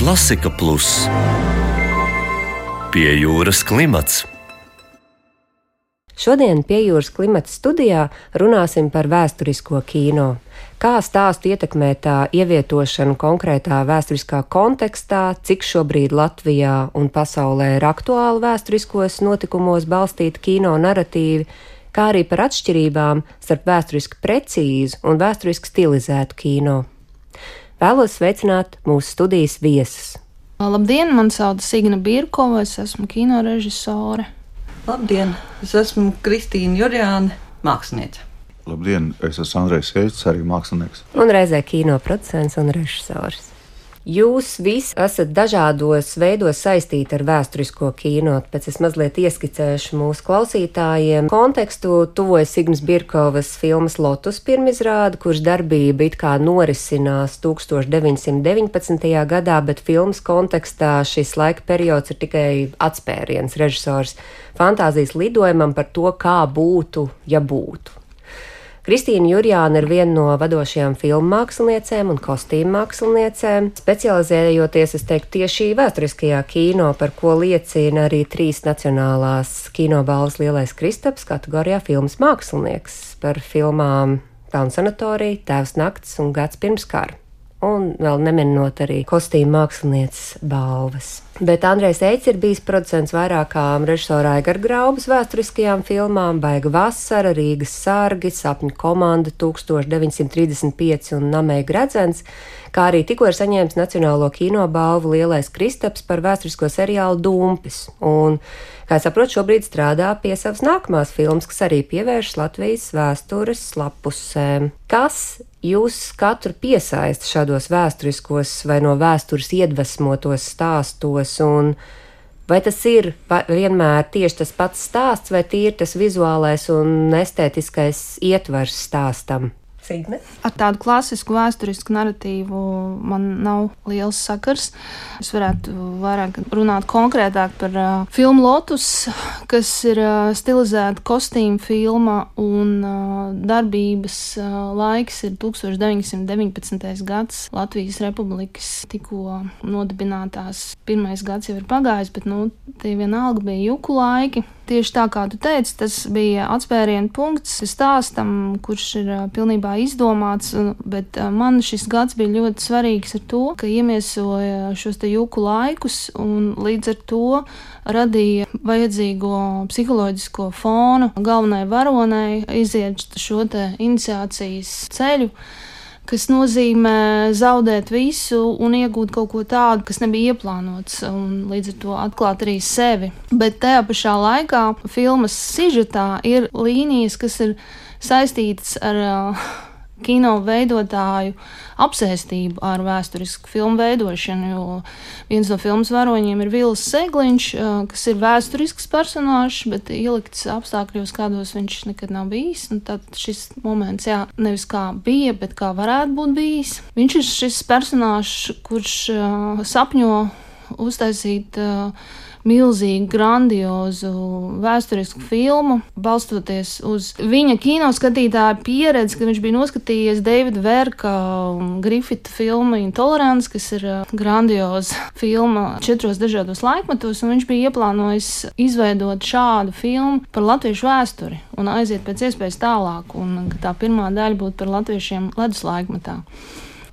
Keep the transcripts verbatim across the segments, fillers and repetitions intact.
Klasika Plus. Pie jūras klimats. Šodien pie jūras klimata studijā runāsim par vēsturisko kino. Kā stāstu ietekmē tā ievietošana konkrētā vēsturiskā kontekstā, cik šobrīd Latvijā un pasaulē ir aktuāli vēsturiskos notikumos balstīti kino naratīvi, kā arī par atšķirībām starp vēsturiski precīzu un vēsturiski stilizētu kino. Vēlos sveicināt mūsu studijas viesus. Labdien, man sauc Signa Birkova, es esmu kino režisore. Labdien, es esmu Kristīna Jurjāne, māksliniece. Labdien, es esmu Andrejs Keits, arī mākslinieks. Un reizē kino producents un režisors. Jūs visi esat dažādos veidos saistīti ar vēsturisko kino, pēc es mazliet ieskicēšu mūsu klausītājiem kontekstu. Tuvojas Sigmas Birkovas filmas Lotus pirmizrāde, kuras darbība it kā norisinās tūkstoš deviņsimt deviņpadsmitajā gadā, bet filmas kontekstā šis laika periods ir tikai atspēriens režisors fantāzijas lidojumam par to, kā būtu, ja būtu. Kristīna Jurjāne ir viena no vadošajām filmu māksliniecēm un kostīmu māksliniecēm, specializējoties, es teiktu, tieši vēsturiskajā kino, par ko liecina arī trīs nacionālās kinobalvas Lielais Kristaps kategorijā filmas mākslinieks par filmām Tauna sanatorija, Tēvs nakts un Gads pirms kara. Un vēl neminot arī kostīmu mākslinieces balvas. Bet Andrejs Eits ir bijis producents vairākām režisora Aigara Graubas vēsturiskajām filmām Baiga vasara, Rīgas sargi, Sapņu komanda tūkstoš deviņsimt trīsdesmit pieci un Namēja gredzens, kā arī tikko ir saņēmis Nacionālo kino balvu Lielais Kristaps par vēsturisko seriālu Dumpis. Un, kā es saprotu, šobrīd strādā pie savas nākamās filmas, kas arī pievēršas Latvijas vēstures lapusēm. Kas jūs katru piesaista šādos vēsturiskos vai no vēstures iedvesmotos stāstos, un vai tas ir vienmēr tieši tas pats stāsts, vai tīri tas vizuālais un estētiskais ietvers stāstam? Signe? Ar tādu klasisku vēsturisku naratīvu man nav liels sakars. Es varētu vairāk runāt konkrētāk par uh, filmu Lotus, kas ir uh, stilizēta kostīma filma, un uh, darbības uh, laiks ir tūkstoš deviņsimt deviņpadsmitais gads. Latvijas Republikas tikko nodibinātās pirmais gads jau ir pagājis, bet nu, tie vienalga bija juku laiki. Tieši tā, kā tu teici, tas bija atspērienu punkts stāstam, kurš ir uh, pilnībā izdomāts, bet uh, man šis gads bija ļoti svarīgs ar to, ka iemiesoja šos te juku laikus un līdz ar to radīja vajadzīgo psiholoģisko fonu galvenai varonei iziet šo te iniciācijas ceļu, kas nozīmē zaudēt visu un iegūt kaut ko tādu, kas nebija ieplānots, un līdz ar to atklāt arī sevi. Bet tajā pašā laikā filmas sižetā ir līnijas, kas ir saistītas ar uh, kino veidotāju apsēstību ar vēsturisku filmu veidošanu, jo viens no filmas varoņiem ir Vils Segliņš, uh, kas ir vēsturisks personāžs, bet ielikts apstākļos, kādos viņš nekad nav bijis. Un tad šis moments, jā, nevis kā bija, bet kā varētu būt bijis. Viņš ir šis personāžs, kurš uh, sapņo uztaisīt uh, milzīgu, grandiozu vēsturisku filmu, balstoties uz viņa kinoskatītāja pieredzi, kad viņš bija noskatījies Davida Verka Griffita filmu Intolerance, kas ir grandioza filma četros dažādos laikmetos, un viņš bija ieplānojis izveidot šādu filmu par latviešu vēsturi un aiziet pēc iespējas tālāk, un tā pirmā daļa būtu par latviešiem ledus laikmetā.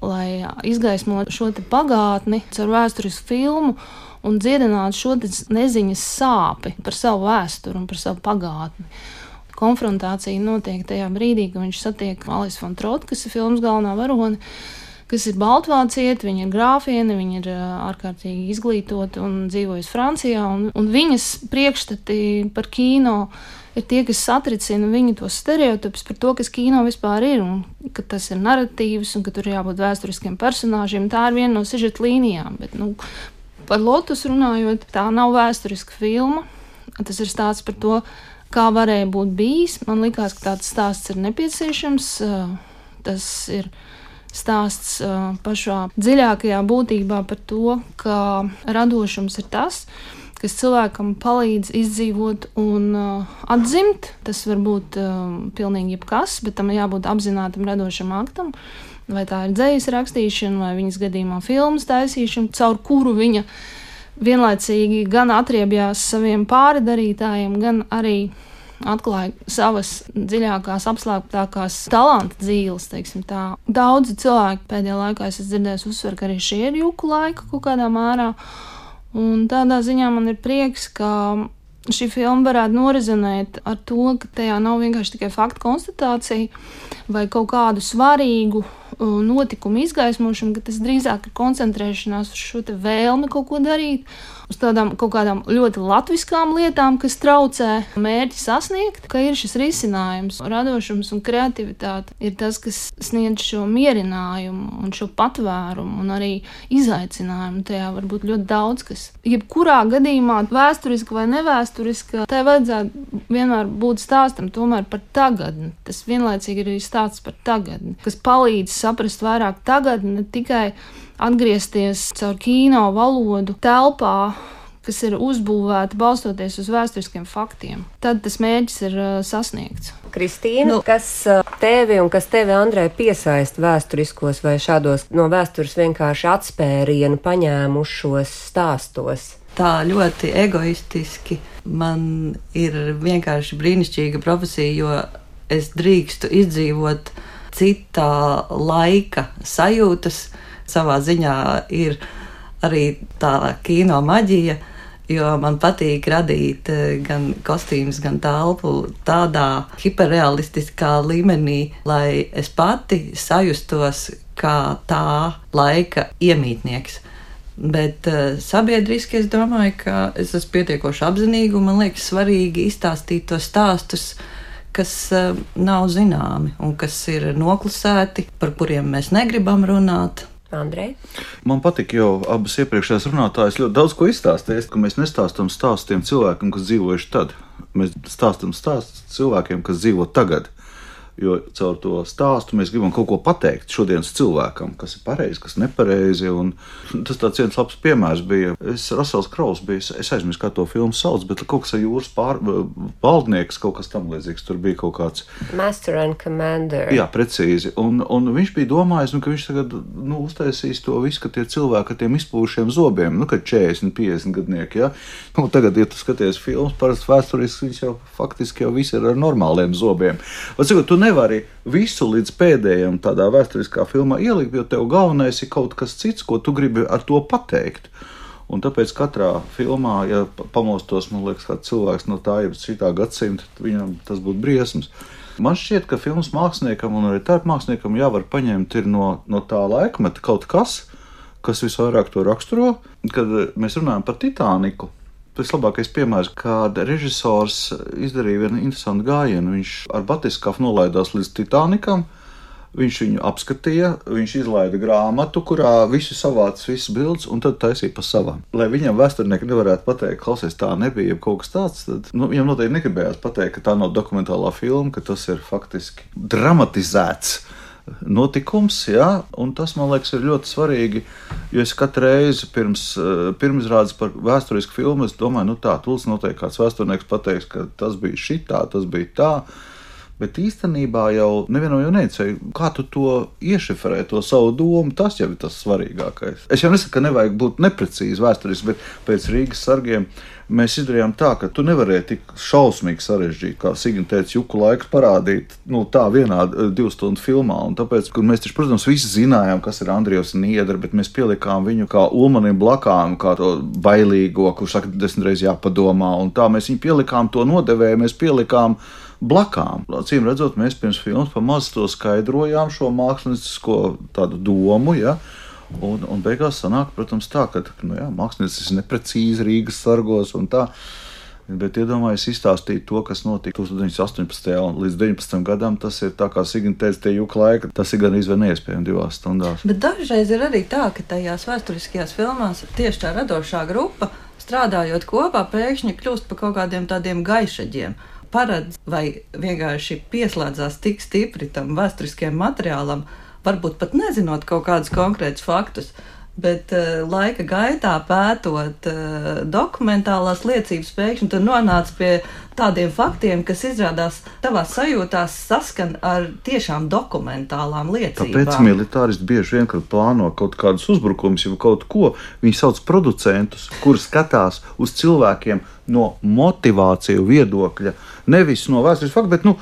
Lai izgaismotu šo te pagātni caur vēsturisku filmu un dziedināt šo neziņas sāpi par savu vēsturi un par savu pagātni. Konfrontācija notiek tajā brīdī, kad viņš satiek Alisu von Trottu, kas ir filmas galvenā varone, kas ir baltvācieti, viņa ir grāfiene, viņa ir ārkārtīgi izglītota un dzīvojas Francijā, un, un viņas priekšstati par kino ir tie, kas satricina viņu tos stereotipus par to, kas kino vispār ir, un ka tas ir naratīvs, un ka tur jābūt vēsturiskiem personāžiem. Tā ir viena no sižeta līnijām, bet, nu, par Lotus runājot, tā nav vēsturiska filma. Tas ir stāsts par to, kā varēja būt bijis. Man likās, ka tāds stāsts ir nepieciešams. Tas ir stāsts pašā dziļākajā būtībā par to, ka radošums ir tas, kas cilvēkam palīdz izdzīvot un atzimt. Tas var būt pilnīgi jebkas, bet tam jābūt apzinātam radošam aktam. vai tā ir dzejas rakstīšana, vai viņas gadījumā filmas taisīšana, caur kuru viņa vienlaicīgi gan atriebjās saviem pāridarītājiem, gan arī atklāja savas dziļākās, apslēptākās talanta dzīves, teiksim tā. Daudzi cilvēki pēdējā laikā es dzirdēju uzsver, ka arī šie ir juku laika kaut kādā mērā, un tādā ziņā man ir prieks, ka šī filma varētu norezonēt ar to, ka tajā nav vienkārši tikai faktu konstatācija vai kaut kādu svarīgu notikumu izgaismošanu, ka tas drīzāk ir koncentrēšanās uz šo te vēlmi kaut ko darīt, uz tādām kaut kādām ļoti latviskām lietām, kas traucē mērķi sasniegt, ka ir šis risinājums. Radošums un kreativitāte ir tas, kas sniedz šo mierinājumu un šo patvērumu un arī izaicinājumu. Tajā var būt ļoti daudz kas. Jebkurā gadījumā, vēsturiski vai nevēsturiski, tai vajadzētu vienmēr būt stāstam tomēr par tagadni. Tas vienlaicīgi ir arī stāsts par tagadni, kas palīdz saprast vairāk tagadni, ne tikai atgriezties caur kino valodu telpā, kas ir uzbūvēta balstoties uz vēsturiskiem faktiem. Tad tas mērķis ir uh, sasniegts. Kristīna, Nu. kas uh, tevi un kas tevi, Andrej, piesaista vēsturiskos vai šādos no vēstures vienkārši atspērienu paņēmušos stāstos? Tā ļoti egoistiski man ir vienkārši brīnišķīga profesija, jo es drīkstu izdzīvot citā laika sajūtas. Savā ziņā ir arī tā kino maģija, jo man patīk radīt gan kostīmus, gan telpu tādā hiperrealistiskā līmenī, lai es pati sajustos kā tā laika iemītnieks. Bet uh, sabiedriski es domāju, ka es esmu pietiekoši apzinīga un man liekas svarīgi izstāstīt tos stāstus, kas uh, nav zināmi un kas ir noklusēti, par kuriem mēs negribam runāt. Andrej? Man patīk, jo abas iepriekšējās runātājas ļoti daudz ko izstāstīja, ka mēs nestāstam stāstu tiem cilvēkiem, kas dzīvojuši tad. Mēs stāstam stāstu cilvēkiem, kas dzīvo tagad. Jo caur to stāstu mēs gribam kaut ko pateikt šodienas cilvēkam, kas ir pareizi, kas nepareizi. Tas tāds viens labs piemērs bija. Es, Rasels Kraus bija, es aizmirsu, kā to filmu sauc, bet kaut kas ar jūras pār, valdnieks, kaut kas tam līdzīgs. Tur bija kaut kāds Master and Commander. Jā, precīzi. Un, un viņš bija domājis, nu, ka viņš tagad nu, uztaisīs to visu, ka tie cilvēki ar tiem izpūšiem zobiem, nu, kad četrdesmit, piecdesmit gadnieki, ja? Nu, tagad, ja tu skaties filmas, parasti vēsturiski, viņš jau faktiski jau visi ir ar normāliem zobiem. Vai, cikot, tu nevari visu līdz pēdējiem tādā vēsturiskā filmā ielikt, jo tev galvenais ir kaut kas cits, ko tu gribi ar to pateikt. Un tāpēc katrā filmā, ja pamostos, man liekas, kāds cilvēks no tā, ja šitā gadsimta, viņam tas būtu briesmas. Man šķiet, ka filmas māksliniekam un arī tērp māksliniekam jāvar paņemt ir no, no tā laikmeta kaut kas, kas visvairāk to raksturo. Kad mēs runājam par Titaniku, tas labākais piemērs, kad režisors izdarīja vienu interesantu gājienu. Viņš ar batiskafu nolaidās līdz Titanikam, viņš viņu apskatīja, viņš izlaida grāmatu, kurā visi savāc visas bildes un tad taisīja pa savām. Lai viņam vēsturnieki nevarētu pateikt, klausies, tā nebija kaut kas tāds, tad nu, viņam noteikti negribējās pateikt, ka tā nav dokumentālā filma, ka tas ir faktiski dramatizēts notikums, ja? Un tas, man liekas, ir ļoti svarīgi, jo es katru reizi pirms pirmizrādes par vēsturisku filmu, es domāju, nu tā, tūlīt noteikti kāds vēsturnieks pateiks, ka tas bija šitā, tas bija tā, bet īstenībā jau nevienam jau neicēja, kā tu to iešifrē, to savu domu, tas jau ir tas svarīgākais. Es jau nesaku, ka nevajag būt neprecīzi vēsturiski, bet pēc Rīgas sargiem mēs izdarījām tā, ka tu nevarēji tik šausmīgi sarežģīt, kā Signa teica, juku laiku parādīt, nu tā vienā divu stundu filmā, un tāpēc, kur mēs taču, protams, visi zinājām, kas ir Andrievs Niedra, bet mēs pielikām viņu kā Ulmanim blakām, kā to bailīgo, kurš saka, desmit reiz jāpadomā, un tā mēs viņu pielikām to nodevēju, mēs pielikām blakām. Cīm redzot, mēs pirms filmas pamaz to skaidrojām, šo māksliniecisko tādu domu, ja, un, un beigās sanāk, protams, tā, ka, nu jā, māksliniecis ir neprecīzi Rīgas sargos un tā, bet iedomājies izstāstīt to, kas notika deviņdesmit astoņpadsmitajā līdz deviņpadsmitajam gadam, tas ir tā, kā Signa teica, tie juka laika, tas ir gan izvēl neiespējami divās stundās. Bet dažreiz ir arī tā, ka tajās vēsturiskajās filmās tieši tā radošā grupa, strādājot kopā, pēkšņi kļūst par kaut kādiem tādiem gaišaģiem. Paredz vai vienkārši pieslēdzās tik stipri tam vēsturiskajam materiālam, varbūt pat nezinot kaut kādus konkrētus faktus, Bet uh, laika gaitā pētot uh, dokumentālās liecības, pēkšņi tu nonāc pie tādiem faktiem, kas izrādās tavās sajūtās saskan ar tiešām dokumentālām liecībām. Tāpēc militāristi bieži vien, kad plāno kaut kādus uzbrukumus, jau kaut ko, viņi sauc producentus, kuri skatās uz cilvēkiem no motivāciju viedokļa, nevis no vēstures faktu, bet, nu,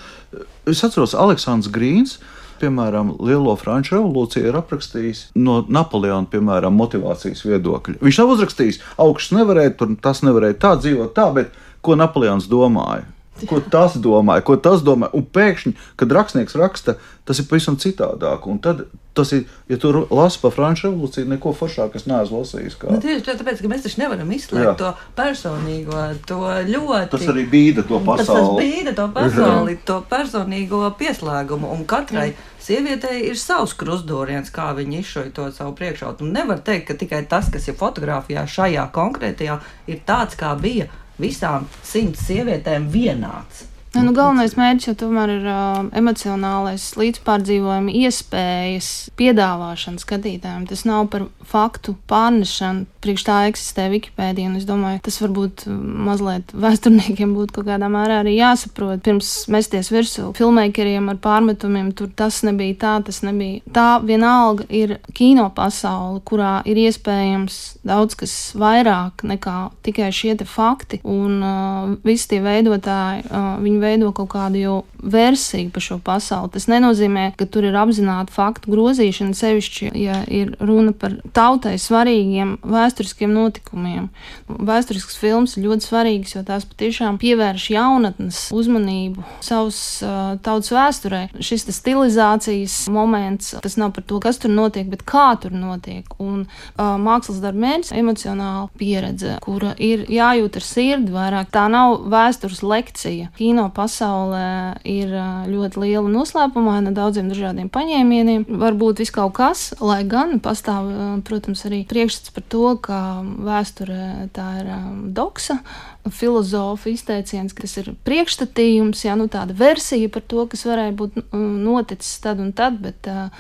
es atceros Aleksandrs Grīns, piemēram, Lielo Franču revolūciju ir aprakstījis no Napoleona, piemēram, motivācijas viedokļa. Viņš nav uzrakstījis, augsts nevarēja, tur tas nevarēja tā dzīvot tā, bet ko Napoleons domāja? Ko tas domāja, ko tas domāja? Un pēkšņi, kad rakstnieks raksta, tas ir pavisam citādāk. Un tad tas ir, ja tu lasi par Franču revolūciju, neko foršāk es neesmu lasījis. Kā. Nu, tieši tāpēc, ka mēs taču nevaram izslēgt Jā. to personīgo, to ļoti... Tas arī bīda to pasauli. Tas, tas bīda to pasauli, to personīgo pieslēgumu. Un katrai sievietei ir savs krustdūriens, kā viņa izšoja to savu priekšautu. Un nevar teikt, ka tikai tas, kas ir fotografijā šajā konkrētajā, ir tāds, kā bija visām simts sievietēm vienāds. Ja, nu, galvenais mērķis jau tomēr ir uh, emocionālais līdzpārdzīvojuma iespējas piedāvāšana skatītājiem. Tas nav par faktu pārnešanu. Priekš tā eksistē Wikipēdija, un es domāju, tas varbūt mazliet vēsturniekiem būtu kaut kādā mērā arī jāsaprot. Pirms mesties virsū filmēkeriem ar pārmetumiem, tur tas nebija tā, tas nebija. Tā vienalga ir kino pasaule, kurā ir iespējams daudz kas vairāk nekā tikai šie te fakti, un uh, visi tie veidotāji, uh, viņi veido kaut kādu jau versiju par šo pasauli. Tas nenozīmē, ka tur ir apzināta faktu grozīšana, sevišķi, ja ir runa par tautai svarīgiem vēsturiskiem notikumiem. Vēsturisks films ir ļoti svarīgs, jo tās patiešām pievērš jaunatnes uzmanību savas uh, tautas vēsturē. Šis stilizācijas moments, tas nav par to, kas tur notiek, bet kā tur notiek. Un uh, mākslas darba mērķis - emocionāla pieredze, kura ir jājūt ar sirdi vairāk. Tā nav vēstures lekcija. Kino pasaulē ir ļoti liela noslēpumaina daudziem dažādiem paņēmieniem. Varbūt viss kaut kas, lai gan pastāv, protams, arī priekšstats par to, ka vēsture tā ir doksa, filozofa izteiciens, kas ir priekšstatījums, jā, nu tāda versija par to, kas varēja būt noticis tad un tad, bet uh,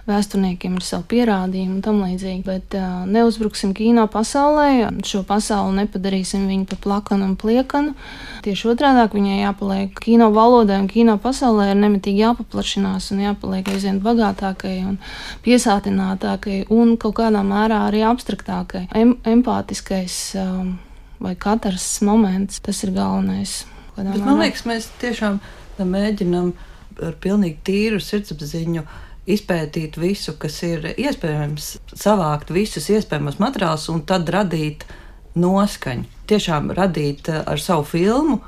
vēsturniekiem ir savu pierādījumu un tam līdzīgi, bet uh, neuzbruksim kino pasaulē, šo pasauli nepadarīsim viņu par plakanu un pliekanu. Tieši otrādāk viņai jāpaliek kino valodai un kino pasaulē ir nemitīgi jāpaplašinās un jāpaliek aizvien bagātākai un piesātinātākai un kaut kādā mērā arī abstraktākai. Em- empātiskais um, vai katrs moments, tas ir galvenais. Bet man liekas, mēs tiešām mēģinam ar pilnīgi tīru sirdsapziņu izpētīt visu, kas ir iespējams, savākt visus iespējamos materiālus un tad radīt noskaņu. Tiešām radīt ar savu filmu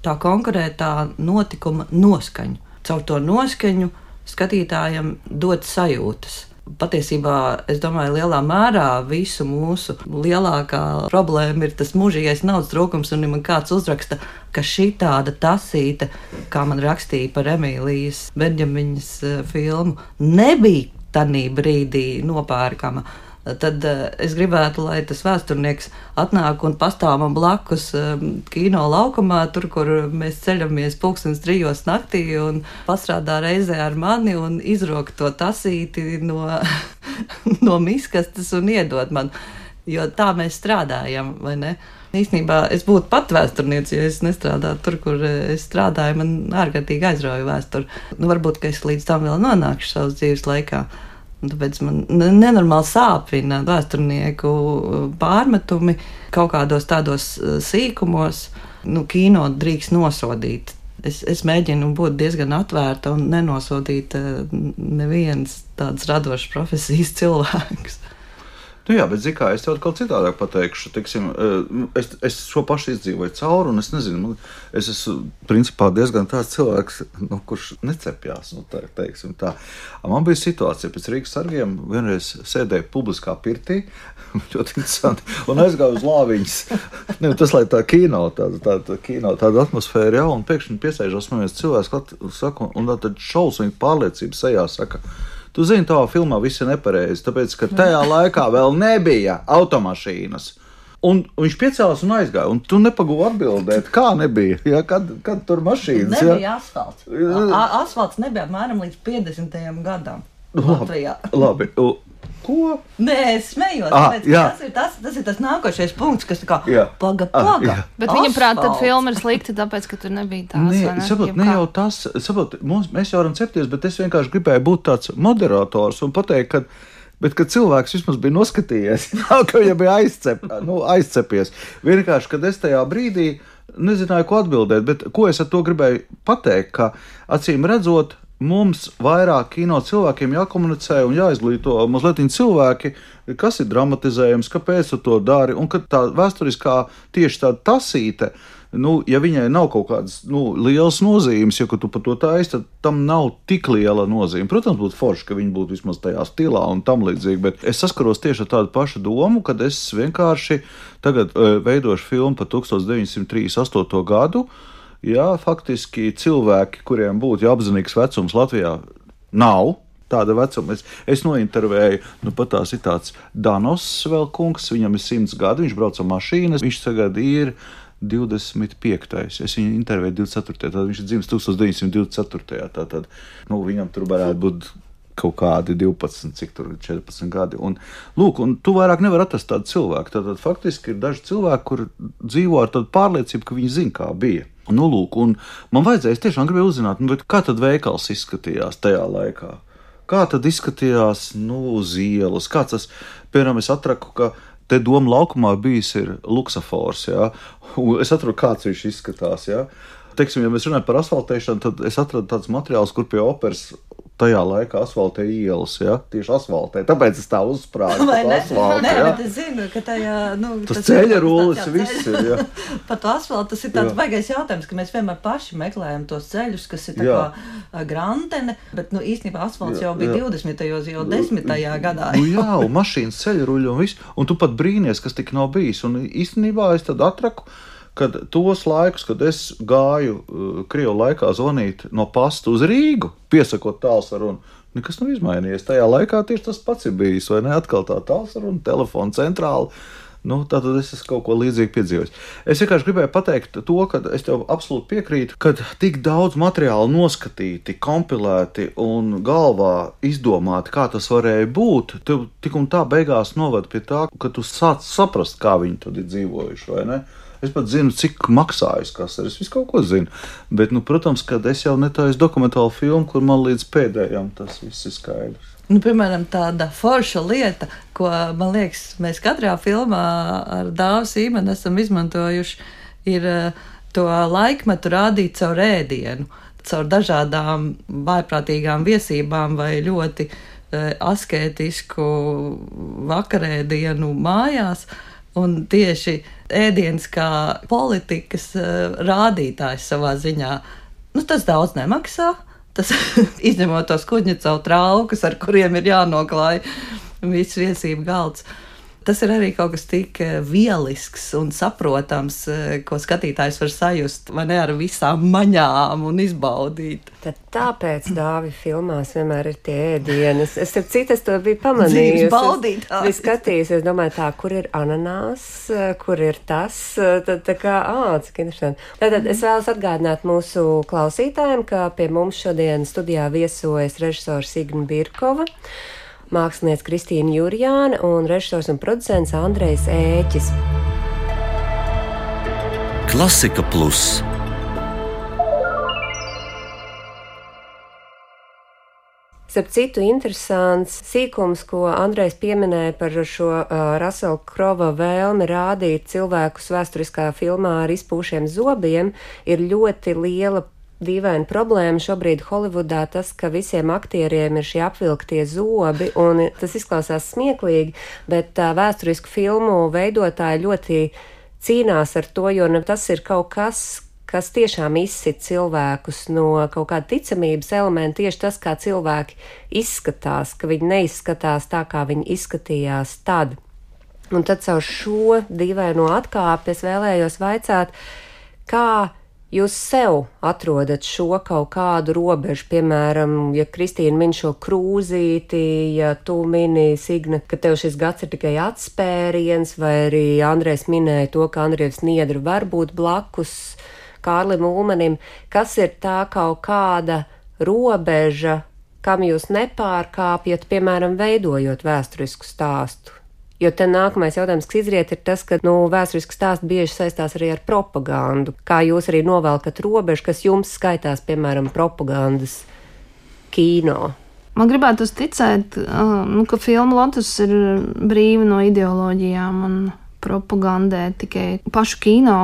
tā konkrētā notikuma noskaņu. Caur to noskaņu skatītājam dot sajūtas. Patiesībā, es domāju, lielā mērā visu mūsu lielākā problēma ir tas mūžīgais naudas trūkums, un ja man kāds uzraksta, ka šī tāda tasīte, kā man rakstīja par Emīlijas Benjamiņas filmu, nebija tanī brīdī nopērkama, tad uh, es gribētu, lai tas vēsturnieks atnāk un pastāv man blakus uh, kino laukumā, tur, kur mēs ceļamies pulkstens trijos naktī un pastrādā reizē ar mani un izrok to tasīti no, no miskastes un iedod man. Jo tā mēs strādājam, vai ne? Īstenībā es būtu pat vēsturniece, ja es nestrādātu tur, kur es strādāju, man ārkārtīgi aizrauja vēsturi. Nu, varbūt, ka es līdz tam vēl nonākšu savas dzīves laikā. Un tāpēc man nenormāli sāpina vēsturnieku pārmetumi kaut kādos tādos sīkumos. Nu, kino drīkst nosodīt. Es, es mēģinu būt diezgan atvērta un nenosodīt nevienas tādas radošas profesijas cilvēkus. Nu jā, bet, zini kā, es tev kaut citādāk pateikšu, teiksim, es, es šo pašu izdzīvoju cauri, un es nezinu, man, es esmu principā diezgan tāds cilvēks, nu, kurš necepjās, nu, tā, teiksim tā. Man bija situācija pēc Rīgas sargiem, vienreiz sēdēju publiskā pirtī, ļoti interesanti, un aizgāju uz lāviņas. Ne, tas, lai tā kino, tāda, tāda kino, tāda atmosfēra, jā, un pēkšņi piesēžos man viens cilvēks, saka, un tad šausmīgi pārliecība sejā saka, tu zini, tavā filmā viss ir nepareizi, tāpēc, ka tajā laikā vēl nebija automašīnas. Un viņš piecēlās un aizgāja, un tu nepagūvi atbildēt, kā nebija, ja, kad, kad tur mašīnas. Nebija ja? asfalts. A, asfalts nebija apmēram līdz piecdesmitajam gadam. Latvijā. Labi. Ko? Nē, es smējos. Ah, tāpēc, tas, ir tas, tas ir tas nākošais punkts, kas tā kā jā. paga, paga. Ah, Bet viņam prāt, tad filma ir slikta, tāpēc, ka tur nebija tās. Nē, ne? saprot, ne jau tas, saprot, mums, mēs jau varam cepties, bet es vienkārši gribēju būt tāds moderators un pateikt, ka, bet, kad cilvēks vismaz bija noskatījies, ka viņam bija aizcep, nu, aizcepies. Vienkārši, kad es tajā brīdī nezināju, ko atbildēt, bet ko es ar to gribēju pateikt, ka acīm redzot, mums vairāk kino cilvēkiem jākomunicē un jāizglīto mazliet cilvēki, kas ir dramatizējums, kāpēc tu to dari, un ka tā vēsturiskā tieši tāda tasīte, nu, ja viņai nav kaut kādas, nu, lielas nozīmes, ja tu par to taisi, tad tam nav tik liela nozīme. Protams, būtu forši, ka viņi būtu vismaz tajā stilā un tam līdzīgi, bet es saskaros tieši ar tādu pašu domu, kad es vienkārši tagad uh, veidošu filmu par tūkstoš deviņsimt trīsdesmit astoto gadu. Jā, faktiski cilvēki, kuriem būtu jāapzinīgs vecums Latvijā, nav tāda vecuma. Es, es nointervēju, nu pat tās ir tāds Danos vēl kungs, viņam ir simts gadi, viņš brauc ar mašīnas, viņš tagad ir divdesmit piektais. Es viņu intervēju divdesmit ceturtajā, tad viņš ir dzimis tūkstoš deviņsimt divdesmit ceturtajā. Tātad, nu, viņam tur varētu būt kaut kādi divpadsmit, cik tur ir četrpadsmit gadi. Un, lūk, un tu vairāk nevar atrast tādu cilvēku. Tātad faktiski ir daži cilvēki, kur dzīvo ar tādu pārliecību, ka viņi zina, kā bija. Nu, lūk, un man vajadzēja, es tiešām gribēju uzzināt, nu, bet kā tad veikals izskatījās tajā laikā? Kā tad izskatījās, nu, uz ielas? Kā tas, piemēram, es atraku, ka te Doma laukumā bijis ir luksafors, jā? Un es atradu, kāds viņš izskatās, jā? Teiksim, ja mēs runājam par asfaltēšanu, tad es atradu tāds materiāls, kur pie operas tajā laikā asfaltē ielas, ja? Tieši asfaltē. Tāpēc es tā uzsprāgu par asfaltu. Nē, ja? bet es zinu, ka tajā, nu, tas, tas ceļa rullis viss ir, ja? Par to asfaltu tas ir tāds baigais jautājums, ka mēs vienmēr paši meklējam tos ceļus, kas ir tā jā. kā grantene, bet, nu, īstenībā asfalts jā, jau bija jā. divdesmitajos, jau desmitajā gadā. Nu, jā, un mašīnas ceļa ruļi un viss, un tu pat brīnies, kas tik nav bijis, un īstenībā es tad atraku, kad tos laikus, kad es gāju uh, Krievu laikā zvanīt no pasta uz Rīgu, piesakot tālsarunu, nekas nav izmainījies. Tajā laikā tieši tas pats ir bijis, vai ne? Atkal tā tālsaruna, telefona centrāla. Nu, tātad es esmu kaut ko līdzīgi piedzīvojis. Es vienkārši gribēju pateikt to, ka es tev absolūti piekrītu, ka tik daudz materiālu noskatīti, kompilēti un galvā izdomāti, kā tas varēja būt, tev tik un tā beigās novada pie tā, ka tu sāc saprast, kā viņi tad ir dzīvojuši, vai ne? Es pat zinu, cik maksājas kas ir. Es visu kaut ko zinu. Bet, nu, protams, kad es jau netaisu dokumentālu filmu, kur man līdz pēdējām tas viss ir skaidrs. Nu, piemēram, tāda forša lieta, ko, man liekas, mēs katrā filmā ar Dāvu Sīmanu esam izmantojuši, ir to laikmetu rādīt caur ēdienu, caur dažādām vājprātīgām viesībām vai ļoti uh, askētisku vakarēdienu mājās. Un tieši ēdiens kā politikas uh, rādītājs savā ziņā, nu, tas daudz nemaksā. Tas izņemot tos kuģņicavu traukus, ar kuriem ir jānoklāj viss viesību galds. Tas ir arī kaut kas tik vielisks un saprotams, ko skatītājs var sajust, vai ne, ar visām maņām un izbaudīt. Tad tāpēc, Dāvi, filmās vienmēr ir tie ēdieni. Es, es ar citas to biju pamanījusi. Dzīves baudītāji. Es skatījos, es domāju tā, kur ir ananās, kur ir tas, tad tā kā, ā, cik interesanti. Tātad es vēlos atgādināt mūsu klausītājiem, ka pie mums šodien studijā viesojas režisors Signa Birkova, māksliniece Kristīna Jurjāne un režisors un producents Andrejs Ēķis. Klasika Plus. Starp citu, interesants sīkums, ko Andrejs pieminēja par šo uh, Rasela Krova vēlmi rādīt cilvēkus vēsturiskā filmā ar izpūšiem zobiem, ir ļoti liela dīvaina problēma šobrīd Holivudā, tas, ka visiem aktieriem ir šie apvilktie zobi, un tas izklausās smieklīgi, bet uh, vēsturisku filmu veidotāji ļoti cīnās ar to, jo nu, tas ir kaut kas, kas tiešām izsit cilvēkus no kaut kāda ticamības elementa, tieši tas, kā cilvēki izskatās, ka viņi neizskatās tā, kā viņi izskatījās tad. Un tad caur šo dīvaino atkāpi es vēlējos vaicāt, kā jūs sev atrodat šo kaut kādu robežu, piemēram, ja Kristīna min šo krūzīti, ja tu mini, Signa, ka tev šis gads ir tikai atspēriens, vai arī Andrejs minēja to, ka Andrejs Niedra var būt blakus Kārlim Ulmanim, kas ir tā kaut kāda robeža, kam jūs nepārkāpjat, piemēram, veidojot vēsturisku stāstu? Jo te nākamais jautājums, kas izriet, ir tas, ka, nu, vēsturiski stāsti bieži saistās arī ar propagandu. Kā jūs arī novelkat robežu, kas jums skaitās, piemēram, propagandas kino? Man gribētu ticēt, nu, ka filma Lotus ir brīva no ideoloģijām un propagandē tikai pašu kino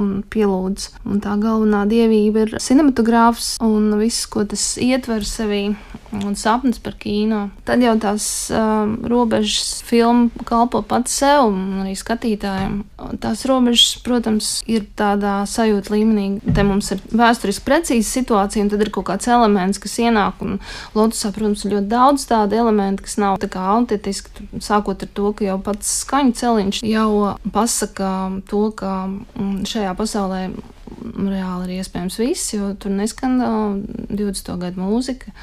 un pielūdz. Un tā galvenā dievība ir cinematogrāfs un viss, ko tas ietver sevī, un sapnis par kino. Tad jau tās um, robežas filma kalpo pats sev un arī skatītājiem. Tās robežas, protams, ir tādā sajūta līmenī. Te mums ir vēsturiski precīza situācija, un tad ir kaut kāds elements, kas ienāk, un Lotusā, protams, ir ļoti daudz tādu elementu, kas nav tā kā autentiski, sākot ar to, ka jau pats skaņu celiņš jau pasaka to, ka šajā pasaulē reāli ir iespējams viss, jo tur neskan divdesmito gadu mūzika.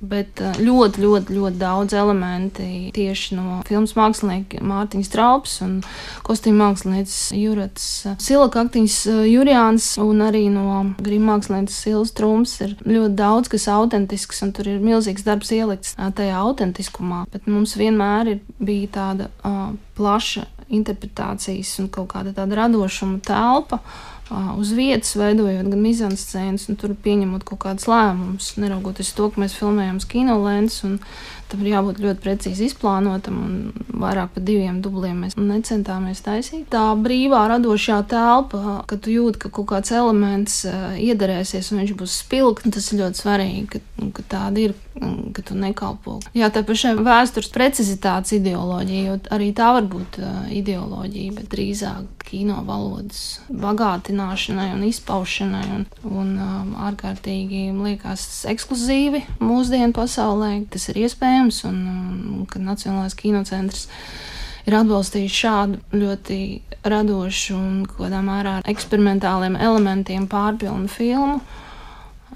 Bet ļoti, ļoti, ļoti daudz elementi tieši no filmas mākslinieka Mārtiņas Traups un kostīmu mākslinieces Jurats Silakaktiņas Jurjāns un arī no grima mākslinieces Silas Trums ir ļoti daudz, kas autentisks, un tur ir milzīgs darbs ielikts tajā autentiskumā. Bet mums vienmēr ir bija tāda uh, plaša interpretācijas un kaut kāda tāda radošuma telpa, uz vietas veidojot gan mizanscēnas, un tur pieņemot kaut kādas lēmumus, neraugoties to, ka mēs filmējam uz kinolēns, un tam ir jābūt ļoti precīzi izplānotam, un vairāk par diviem dubliem mēs necentāmies taisīt. Tā brīvā radošā telpa, kad tu jūti, ka kaut kāds elements iedarēsies un viņš būs spilgts, tas ir ļoti svarīgi, ka, ka tāda ir, ka tu nekalpo. Jā, tā pašai vēstures precizitātes ideoloģija, jo arī tā var būt ideoloģija, bet drīzāk kino valodas bagātināšanai un izpaušanai un, un um, ārkārtīgi, liekas, ekskluzīvi mūsdienu pasaulē. Tas ir iespējams, un, un kad Nacionālais kinocentrs ir atbalstījis šādu ļoti radošu un kādā mērā eksperimentāliem elementiem pārpilnu filmu,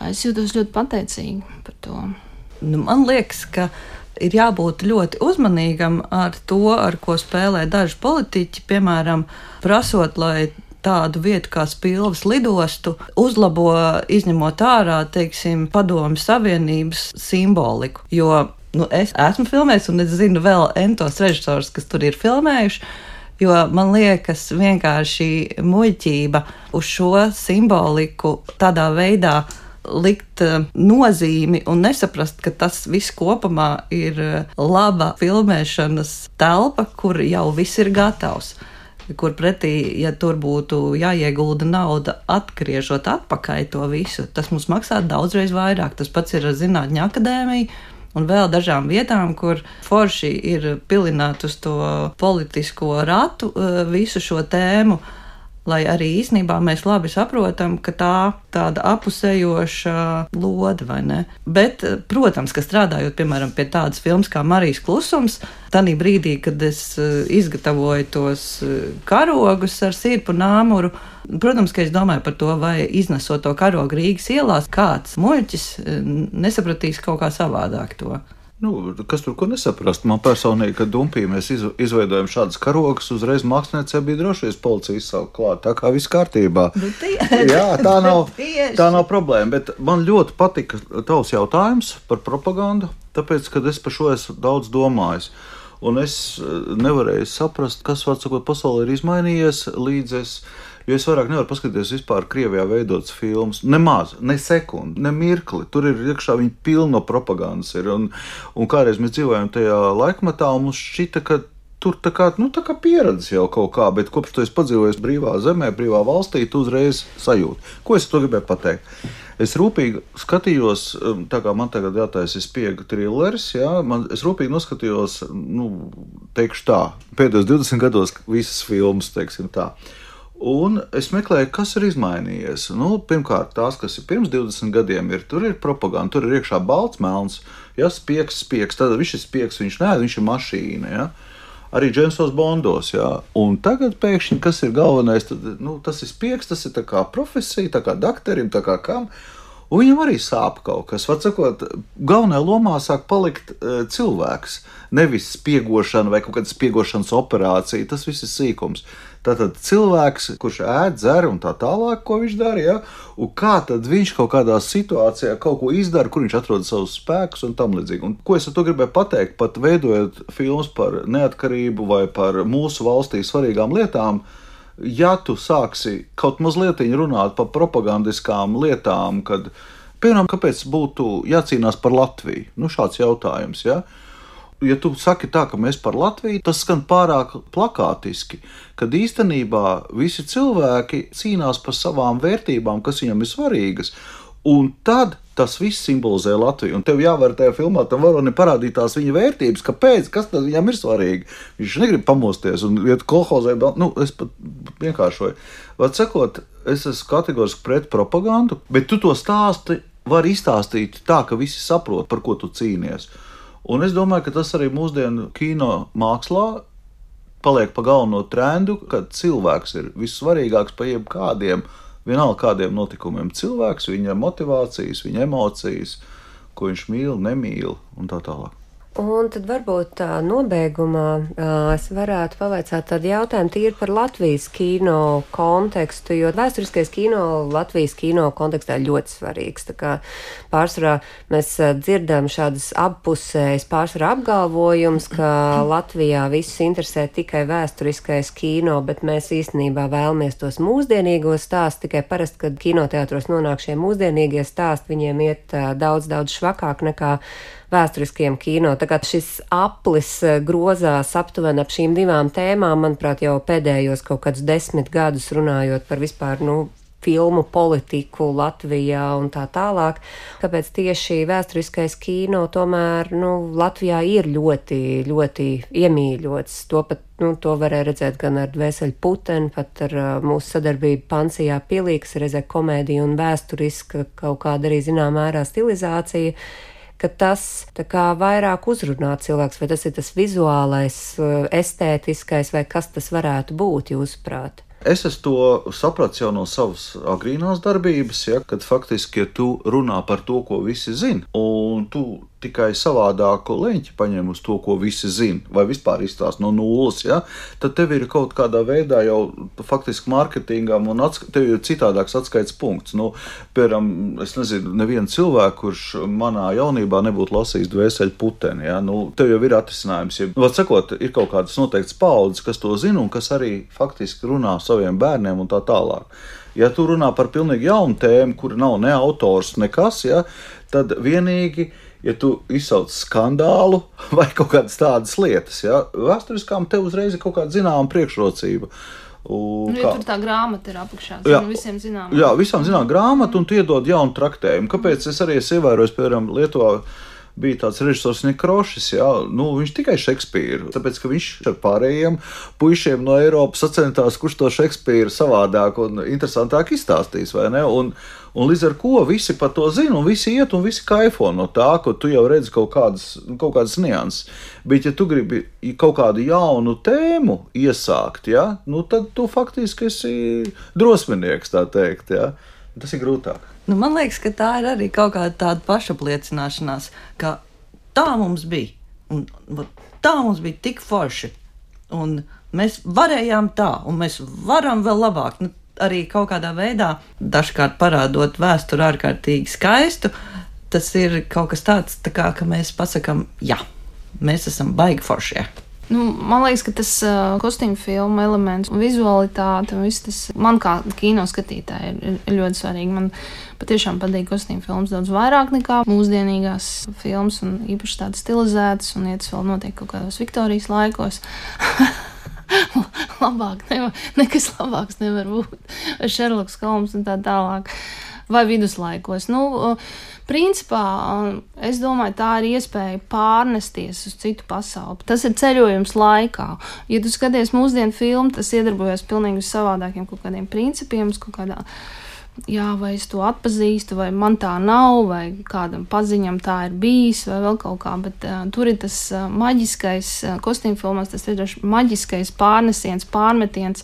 es jūtos ļoti pateicīgi par to. Nu, man liekas, ka ir jābūt ļoti uzmanīgam ar to, ar ko spēlē daži politiķi, piemēram, prasot, lai tādu vietu kā Spilves lidostu uzlabo, izņemot ārā, teiksim, Padomju Savienības simboliku. Jo nu, es esmu filmējis, un es zinu vēl entos režisors, kas tur ir filmējuši, jo man liekas vienkārši muļķība uz šo simboliku tādā veidā likt nozīmi un nesaprast, ka tas viss kopumā ir laba filmēšanas telpa, kur jau viss ir gatavs. Kur pretī, ja tur būtu jāiegulda nauda atgriežot atpakaļ to visu, tas mums maksā daudzreiz vairāk. Tas pats ir ar Zinātņu akadēmiju un vēl dažām vietām, kur forši ir pilināt uz to politisko ratu visu šo tēmu, lai arī īsnībā mēs labi saprotam, ka tā tāda apusējoša lode, vai ne? Bet, protams, ka strādājot, piemēram, pie tādas filmas kā Marijas klusums, tanī brīdī, kad es izgatavoju tos karogus ar sirpu nāmuru, protams, ka es domāju par to, vai iznesot to karogu Rīgas ielās, kāds muļķis nesapratīs kaut kā savādāk to. Nu, kas tur ko nesaprast? Man personīgi, kad Dumpī mēs izveidojam šādas karogas, uzreiz māksliniecei bija drošies policija izsaukt klāt, tā kā viss kārtībā. Jā, tā nav, tā nav problēma, bet man ļoti patika tavs jautājums par propagandu, tāpēc, kad es par šo esmu daudz domājis. Un es nevarēju saprast, kas, var sakot, pasaulē ir izmainījies, līdz es, jo es vairāk nevaru paskatīties vispār Krievijā veidotas filmas, nemaz, ne sekundi, ne mirkli, tur ir iekšā viņi pilno propagandas ir, un, un kādreiz mēs dzīvojam tajā laikmatā, un mums šķita, ka tur tā kā, nu, tā kā pieredze jau kaut kā, bet kopš tu esi padzīvojis brīvā zemē, brīvā valstī, tu uzreiz sajūti. Ko es to gribēju pateikt? Es rūpīgi skatījos, tā kā man tagad jātaisa spiega trilleris, jā, man, es rūpīgi noskatījos, nu, teikšu tā, pēdējos divdesmit gados visas filmas, teiksim tā. Un es meklēju, kas ir izmainījies. Nu, pirmkārt, tās, kas ir pirms divdesmit gadiem, ir, tur ir propaganda, tur ir iekšā balts, melns, ja, spiegs, spiegs, tad viņš ir spiegs, viņš nē, viņš ir mašīna, ja. Arī Džeimsos Bondos, jā. Un tagad pēkšņi, kas ir galvenais, tad, nu, tas ir spiegs, tas ir tā kā profesija, tā kā dakterim, tā kā kam. Un viņam arī sāp kaut kas. Var sakot, galvenajā lomā sāk palikt uh, cilvēks. Nevis spiegošana vai kaut kāda spiegošanas operācija. Tas viss ir sīkums. Tātad cilvēks, kurš ēd, dzer un tā tālāk, ko viņš dara, ja? Un kā tad viņš kaut kādā situācijā kaut ko izdara, kur viņš atrod savus spēkus un tam līdzīgi. Un ko es ar to gribēju pateikt, pat veidojot filmas par neatkarību vai par mūsu valstī svarīgām lietām, ja tu sāksi kaut mazliet runāt par propagandiskām lietām, kad, piemēram, kāpēc būtu jācīnās par Latviju? Nu, šāds jautājums, ja? Ja tu saki tā, ka mēs par Latviju, tas skan pārāk plakātiski, kad īstenībā visi cilvēki cīnās par savām vērtībām, kas viņam ir svarīgas, un tad tas viss simbolizē Latviju. Un tev jāvar tajā filmā tam varonim parādīt tās viņa vērtības, kāpēc, kas tad viņam ir svarīgi. Viņš negrib pamosties un iet kolhozē, nu, es pat vienkāršoju. Var sakot, es esmu kategoriski pret propagandu, bet tu to stāsti vari izstāstīt tā, ka visi saprot, par ko tu cīnies. Un es domāju, ka tas arī mūsdienu kino mākslā paliek pa galveno trendu, kad cilvēks ir vissvarīgāks par jebkādiem, vienalga kādiem notikumiem. Cilvēks, viņa motivācijas, viņa emocijas, ko viņš mīl, nemīl un tā tālāk. Un tad varbūt tā nobeigumā es varētu pavaicāt tādu jautājumu tīri par Latvijas kino kontekstu, jo vēsturiskais kino Latvijas kino kontekstā ir ļoti svarīgs. Tā kā pārsvarā mēs dzirdam šādas appusējas pārsvarā apgalvojums, ka Latvijā visus interesē tikai vēsturiskais kino, bet mēs īstenībā vēlamies tos mūsdienīgos stāstus, tikai parasti, kad kinoteātros nonāk šie mūsdienīgie stāsti, viņiem iet daudz, daudz švakāk nekā vēsturiskiem kino. Tā kā šis aplis grozās aptuveni ap šīm divām tēmām, manuprāt, jau pēdējos kaut kādus desmit gadus runājot par vispār, nu, filmu politiku Latvijā un tā tālāk. Kāpēc tieši vēsturiskais kino tomēr, nu, Latvijā ir ļoti, ļoti iemīļots. To pat, nu, to varēja redzēt gan ar Dvēseli puteni, pat ar uh, mūsu sadarbību Pansijā pilī, kas reizē komēdija un vēsturiska kaut kāda arī zināmā mērā stilizācija, ka tas tā kā vairāk uzrunā cilvēks, vai tas ir tas vizuālais, estētiskais, vai kas tas varētu būt, jūsuprāt? Es esmu to sapratis jau no savas agrīnās darbības, ja, kad faktiski, ja tu runā par to, ko visi zina, un tu tikai savādāku leņķi paņem uz to, ko visi zina, vai vispār izstāst no nulles, ja, tad tev ir kaut kādā veidā jau faktiski mārketingam un atsk- tev ir citādāks atskaits punkts. Nu, piemēram, es nezinu, nevienu cilvēku, kurš manā jaunībā nebūtu lasījis Dvēseli puteni, ja, nu, tev jau ir atrisinājums. Ja, var sakot, ir kaut kādas noteikts paudzes, kas to zina un kas arī faktiski runā saviem bērniem un tā tālāk. Ja tu runā par pilnīgi jaunu tēmu, kur nav ne autors, nekas, ja, tad vienīgi, ja tu izsauc skandālu vai kaut kādas tādas lietas, ja, vēsturiskām tev uzreiz ir kaut kāda zināma priekšrocība. Un, nu, ja tur tā grāmata ir apakšā, jā, nu, visiem zinām. Jā, visām zinām grāmatu, un tu iedod jaunu traktējumu. Kāpēc es arī esmu ievērojis, piemēram, Lietuvā bija tāds režisors Nekrošis, jā, nu, viņš tikai Šekspīru, tāpēc, ka viņš ar pārējiem puišiem no Eiropas sacentās, kurš to Šekspīru savādāk un interesantāk izstāstīs, vai ne? Un, un līdz ar ko visi par to zina, un visi iet, un visi kaifo no tā, ka tu jau redzi kaut kādas, kaut kādas nianses. Bet, ja tu gribi kaut kādu jaunu tēmu iesākt, jā, nu, tad tu faktiski esi drosminieks, tā teikt, jā. Tas ir grūtāk. Nu, man liekas, ka tā ir arī kaut kāda tāda pašapliecināšanās, ka tā mums bija, un tā mums bija tik forši, un mēs varējām tā, un mēs varam vēl labāk. Nu, arī kaut kādā veidā, dažkārt parādot vēsturi ārkārtīgi skaistu, tas ir kaut kas tāds, tā kā, ka mēs pasakam, jā, mēs esam baigi foršie. Nu, man liekas, ka tas uh, kostīmu filmu elements un vizualitāte un viss tas man kā kino skatītāji ir, ir ļoti svarīgi. Man patiešām patīk kostīmu filmas daudz vairāk nekā mūsdienīgās filmas un īpaši tādas stilizētas un iet vēl notiek kaut kādos Viktorijas laikos. Labāk nevar, nekas labāks nevar būt. Vai Šerloks Holms un tā tālāk. Vai viduslaikos. Nu, principā, es domāju, tā ir iespēja pārnesties uz citu pasauli. Tas ir ceļojums laikā. Ja tu skaties mūsdienu filmu, tas iedarbojas pilnīgi uz savādākiem kaut kādiem principiem, uz kaut kādā jā, vai es to atpazīstu, vai man tā nav, vai kādam paziņam tā ir bijis, vai vēl kaut kā, bet uh, tur ir tas uh, maģiskais, uh, kostīmfilmās tas ir maģiskais pārnesiens, pārmetiens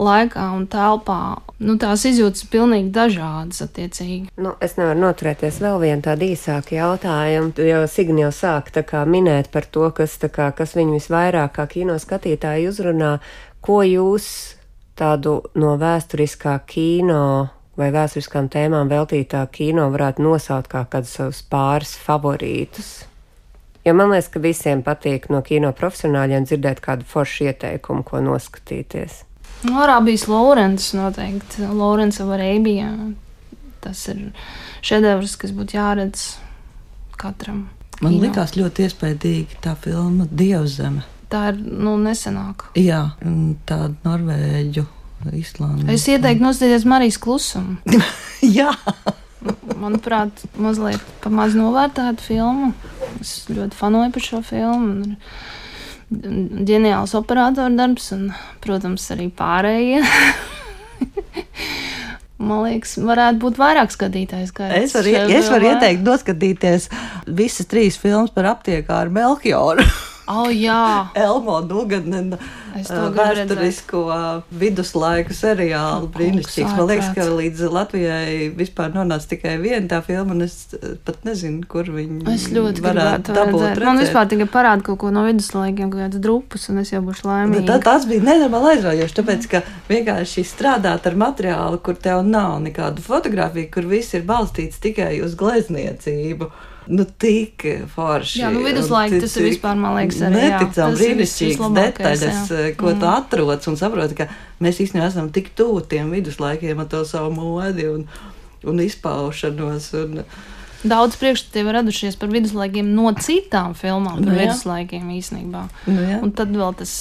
laikā un telpā. Nu, tās izjūtas pilnīgi dažādas attiecīgi. Nu, es nevaru noturēties vēl vienu tādu īsāku jautājumu, jo Signi jau sāk tā kā minēt par to, kas, tā kā, kas viņu visvairāk kā kino skatītāji uzrunā, ko jūs tādu no vēsturiskā kino vai vēsturiskām tēmām veltītā kino varētu nosaukt kā kādus savus pāris favorītus. Jo man liekas, ka visiem patīk no kino profesionāļiem dzirdēt kādu foršu ieteikumu, ko noskatīties. No Arābijas Lorents noteikti. Lorents of Arabia. Tas ir šedevrs, kas būtu jāredz katram. Man kino. likās ļoti iespaidīgi tā filma Dievzeme. Tā ir, nu, nesenāka. Jā, tāda Norvēģu, Islandes. Es ieteiktu noskatīties Marijas klusumu. Jā. Manuprāt, mazliet pamaz novērtēta filma. Es ļoti fanoju par šo filmu. Ģeniāls operatora darbs un, protams, arī pārējie. Man liekas, varētu būt vairāk skatītājs. Es varu, es varu ieteikt noskatīties visas trīs filmas par aptiekāru Melchioru. Oh, jā. Elmo Dugan vēsturisko viduslaiku seriālu brīnišķīgs. Man liekas, ka līdz Latvijai vispār nonāca tikai viena tā filma, un es pat nezinu, kur viņi es ļoti varētu dabūt redzēt. Man vispār tikai parāda kaut ko no viduslaikiem, kaut kāds drupus, un es jau būšu laimīga. Tā, tas bija nenormāli aizraujoši, tāpēc, ka vienkārši strādāt ar materiālu, kur tev nav nekādu fotografiju, kur viss ir balstīts tikai uz glezniecību. Nu, tik forši. Jā, nu viduslaiki tas ir vispār, man liekas, arī. Neticam brīnišķīgas detaļas, jā. Ko mm. tu atroc un saproti, ka mēs īstenībā esam tik tuvu tiem viduslaikiem ar to savu modi un, un izpaušanos. Un, daudz priekšstati ir radušies par viduslaikiem no citām filmām par nu, viduslaikiem īstenībā. Nu, un tad vēl tas,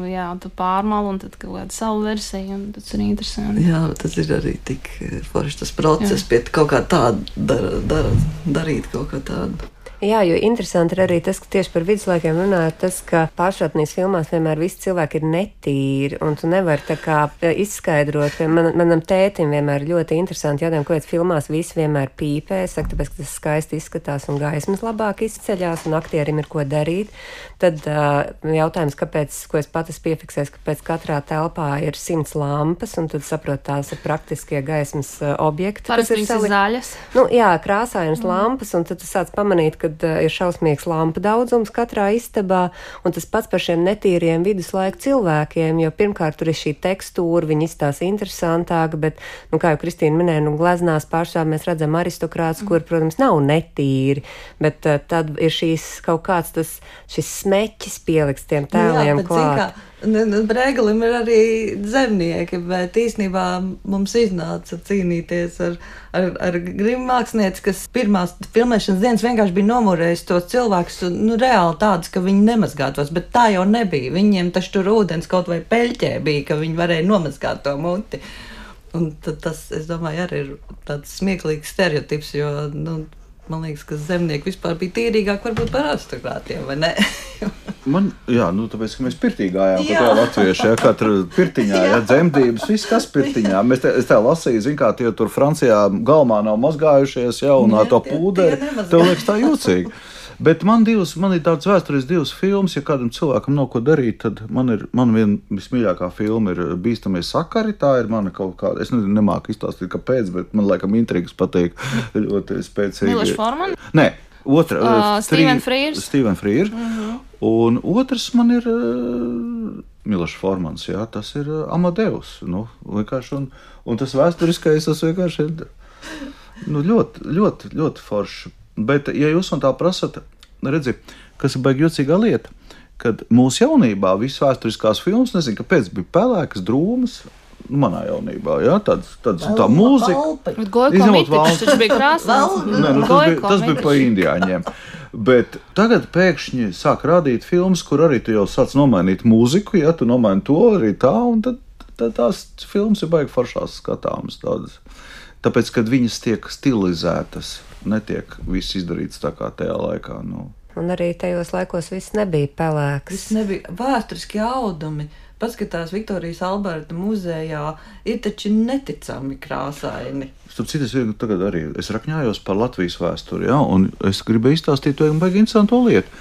jā, tu pārmal un tad kaut kāda savu versiju, un tas ir interesanti. Jā, tas ir arī tik forši tas process, jā. Pie kaut kā tādu dar, dar, darīt kaut kā tādu. Jā, jo interesanti ir arī tas, ka tieši par viduslaikiem runājot, tas, ka pāršķirtnīs filmās vienmēr visi cilvēki ir netīri, un tu nevari tā kā izskaidrot. Man, manam tētim vienmēr ļoti interesanti jādēm, kāpēc filmās visi vienmēr pīpē, saka, tāpēc, ka tas skaisti izskatās un gaismas labāk izceļās, un aktierim ir ko darīt. Tad uh, jautājums, kāpēc, ko es pat esmu piefiksējis, ka pēc katrā telpā ir simts lampas, un tad saprot, tās ir praktiskie gaismas uh, objekti. Parasti viņas ir zaļas. Nu, jā, krāsainas mm. lampas, un tad tu sāc pamanīt, ka ir šausmīgs lampu daudzums katrā istabā, un tas pats par šiem netīriem viduslaiku cilvēkiem, jo pirmkārt tur ir šī tekstūra, viņi izstāsta interesantāk, bet, nu, kā jau Kristīna minēja, nu, gleznās pārstāv mēs redzam aristokrātus, kur, protams, nav netīri, bet uh, tad ir šīs kaut kāds tas, šis smeķis pieliks tiem tēliem jā, klāt. Brēgalim ir arī zemnieki, bet īstenībā mums iznāca cīnīties ar, ar, ar grimu mākslinieci, kas pirmās filmēšanas dienas vienkārši bija nomurējis tos cilvēkus, nu, reāli tādus, ka viņi nemazgātos, bet tā jau nebija. Viņiem taču tur ūdens kaut vai peļķē bija, ka viņi varēja nomazgāt to muti. Un tad tas, es domāju, arī ir tāds smieklīgs stereotips, jo, nu, man liekas, ka zemnieki vispār bija tīrīgāk varbūt par aristokrātiem, vai ne? Man, jā, nu, tāpēc, ka mēs pirtī gājām, kā tā latvieši, ja, katra pirtiņā, ja, dzemdības, viss kas pirtiņā. Mēs te, es tā lasīju, zin kā tie tur Francijā galmā nav mazgājušies, ja, un ar to pūderi, tev liekas tā jūcīgi. Bet man, divas, man ir tāds vēstures divas filmas, ja kādam cilvēkam nav ko darīt, tad man ir, man viena vismīļākā filma ir Bīstamie sakari, tā ir mana kaut kāda, es nezinu, nemāku izstāstīt, kāpēc, bet man laikam intrigas patīk ļoti spēcīgi. Miloš Forman? Nē. Otra, uh, Steven Frears. Steven Frears. Uh-huh. Un otrs man ir uh, Miloš Formans, jā, tas ir uh, Amadeus. Nu, vienkārši, un, un tas vēsturiskais, tas vienkārši ir nu, ļoti, ļoti, ļoti forši. Bet, ja jūs man tā prasat, redzi, kas ir baigi jocīgā lieta, kad mūsu jaunībā visas vēsturiskās filmas, nezinu, kāpēc bija pelēkas, drūmas, manā jaunībā, jā, tāds, tāds tā mūzika. Gojko mitiķis, taču bija krāsās. Nē, nu, tas, bija, tas bija pa indiāņiem. Bet tagad pēkšņi sāk rādīt filmas, kur arī tu jau sāc nomainīt mūziku, ja tu nomaini to arī tā, un tad, tad tās filmas ir baigi foršās skatāmas tādas. Tāpēc, kad viņas tiek stilizētas, netiek viss izdarīts tā kā tajā laikā, nu. Un arī tajos laikos viss nebija pelēks. Viss nebija vēsturiski audumi. paskatās Viktorijas Alberta muzejā, ir taču neticami krāsaini. Starp citu, es tagad arī es rakņājos par Latvijas vēsturi, ja, un es gribēju izstāstīt to baigi interesantu lietu,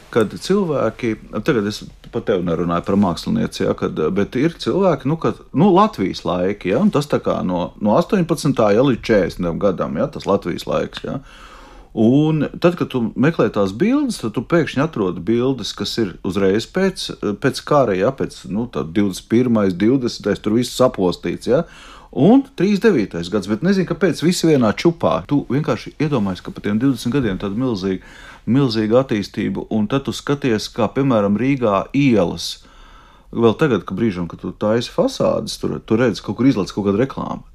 kad cilvēki, tagad es pat tev nerunāju par mākslinieci, ja, kad, bet ir cilvēki, nu, kad, nu, Latvijas laiki, ja, un tas tā kā no, no astoņpadsmitā ja, līdz četrdesmitajam gadam, ja, tas Latvijas laiks, ja. Un tad, kad tu meklē tās bildes, tad tu pēkšņi atrodi bildes, kas ir uzreiz pēc, pēc kara, ja, pēc, nu, tad divdesmit pirmais, divdesmitais, tur viss sapostīts, ja, un trīsdesmit devītais gads, bet nezinu, kāpēc visi vienā čupā. Tu vienkārši iedomājies, ka pa tiem divdesmit gadiem tāda milzīga, milzīga attīstība, un tad tu skaties, kā, piemēram, Rīgā ielas, vēl tagad, ka brīžam, kad tu taisi fasādes, tur, tu redzi, kaut kur izlaic kaut kādu reklāmu.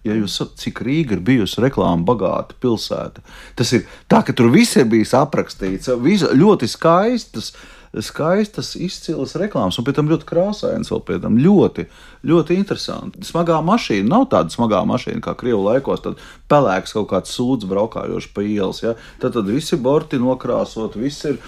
Ja jūs saprotat, cik Rīga ir bijusi reklāma bagāta pilsēta, tas ir tā, ka tur viss ir bijis aprakstīts, visa, ļoti skaistas, skaistas izcilas reklāmas, un pēc tam ļoti krāsainas vēl pēc tam, ļoti, ļoti interesanti. Smagā mašīna nav tāda smagā mašīna, kā Krievu laikos, tad pelēks kaut kāds sūds braukājoši pa ielas, ja? Tad, tad visi borti nokrāsot, viss ir,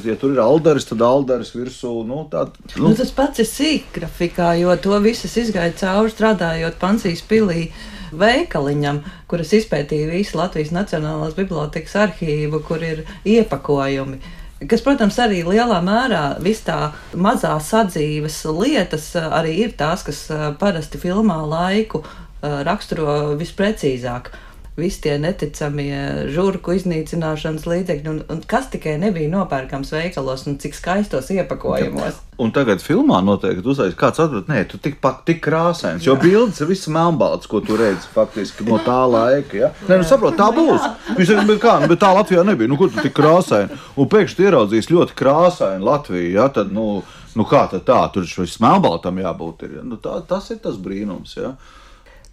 ja tur ir aldaris, tad aldaris virsū, nu, tā. Nu. Nu, tas pats ir sīkgrafikā, jo to visas izgāja cauri strādājot Pansijas pilī veikaliņam, kuras izpētīja visu Latvijas Nacionālās bibliotekas arhīvu, kur ir iepakojumi. Kas, protams, arī lielā mērā viss tā mazā sadzīves lietas arī ir tās, kas parasti filmā laiku raksturo visprecīzāk. Visi tie neticamie žurku iznīcināšanas līdzekļi, un, un kas tikai nebija nopērkams veikalos, un cik skaistos iepakojumos. Un tagad filmā noteikti uzreiz kāds atbrīd, nē, tu tik, tik krāsains, jo bildes ir viss melnbalts, ko tu redzi faktiski no tā laika, ja? Nē, nu saprot, tā būs. Viņš saka, bet kā, bet tā Latvijā nebija, nu kur tu tik krāsaini? Un pēkšņi tu ieraudzīs ļoti krāsaini Latviju, ja? Tad, nu, nu kā tad tā, tur šis melnbaltam jābūt ir, ja? Nu tā, tas ir tas brīnums, ja?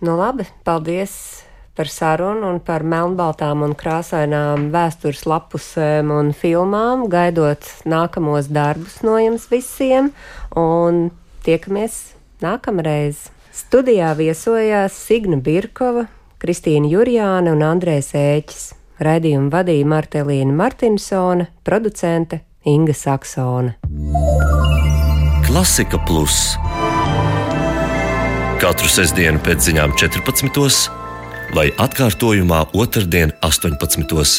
Nu labi, paldies par sarunu un par melnbaltām un krāsainām vēstures lapusēm un filmām, gaidot nākamos darbus no jums visiem, un tiekamies nākamreiz. Studijā viesojās Signa Birkova, Kristīna Jurjāne un Andrejs Ēķis. Raidījumu vadīja Martelīna Martinsone, producente Inga Saksone. Klasika Plus. Katru sestdienu pēc ziņām četrpadsmitos vai atkārtojumā otrdien astoņpadsmitos.